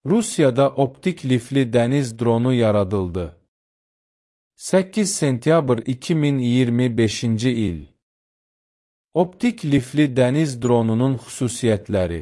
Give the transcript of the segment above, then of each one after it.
Rusiyada optik lifli dəniz dronu yaradıldı. 8 sentyabr 2025-ci il. Optik lifli dəniz dronunun xüsusiyyətləri.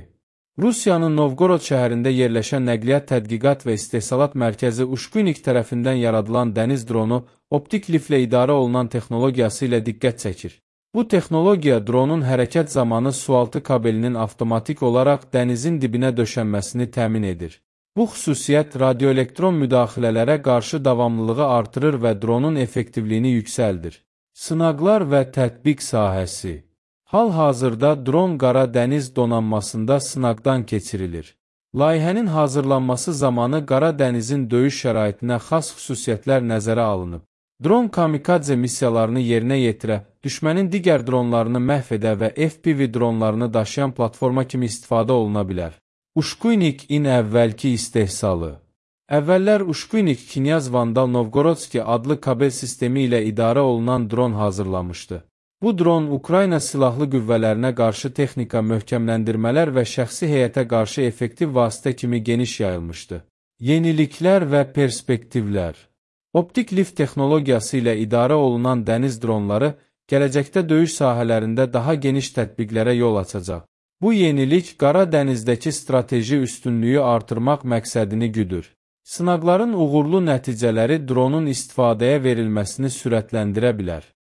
Rusiyanın Novgorod şəhərində yerləşən Nəqliyyat Tədqiqat və İstehsalat Mərkəzi Uşkunik tərəfindən yaradılan dəniz dronu optik liflə idarə olunan texnologiyası ilə diqqət çəkir. Bu texnologiya dronun hərəkət zamanı sualtı kabelinin avtomatik olaraq dənizin dibinə döşənməsini təmin edir. Bu xüsusiyyət radioelektron müdaxilələrə qarşı davamlılığı artırır və dronun effektivliyini yüksəldir. Sınaqlar və tətbiq sahəsi. Hal-hazırda dron Qara Dəniz donanmasında sınaqdan keçirilir. Layihənin hazırlanması zamanı Qara Dənizin döyüş şəraitinə xas xüsusiyyətlər nəzərə alınıb. Dron kamikadze missiyalarını yerinə yetirə, düşmənin digər dronlarını məhv edə və FPV dronlarını daşıyan platforma kimi istifadə oluna bilər. Uşkunik-in əvvəlki istehsalı. Əvvəllər Uşkunik Knyaz Vandal Novgorodski adlı kabel sistemi ilə idarə olunan dron hazırlamışdı. Bu dron Ukrayna silahlı qüvvələrinə qarşı texnika möhkəmləndirmələr və şəxsi heyətə qarşı effektiv vasitə kimi geniş yayılmışdı. Yeniliklər və perspektivlər. Optik lift texnologiyası ilə idarə olunan dəniz dronları gələcəkdə döyüş sahələrində daha geniş tətbiqlərə yol açacaq. Bu yenilik Qara Dənizdəki strateji üstünlüyü artırmaq məqsədini güdür. Sınaqların uğurlu nəticələri dronun istifadəyə verilməsini sürətləndirə bilər.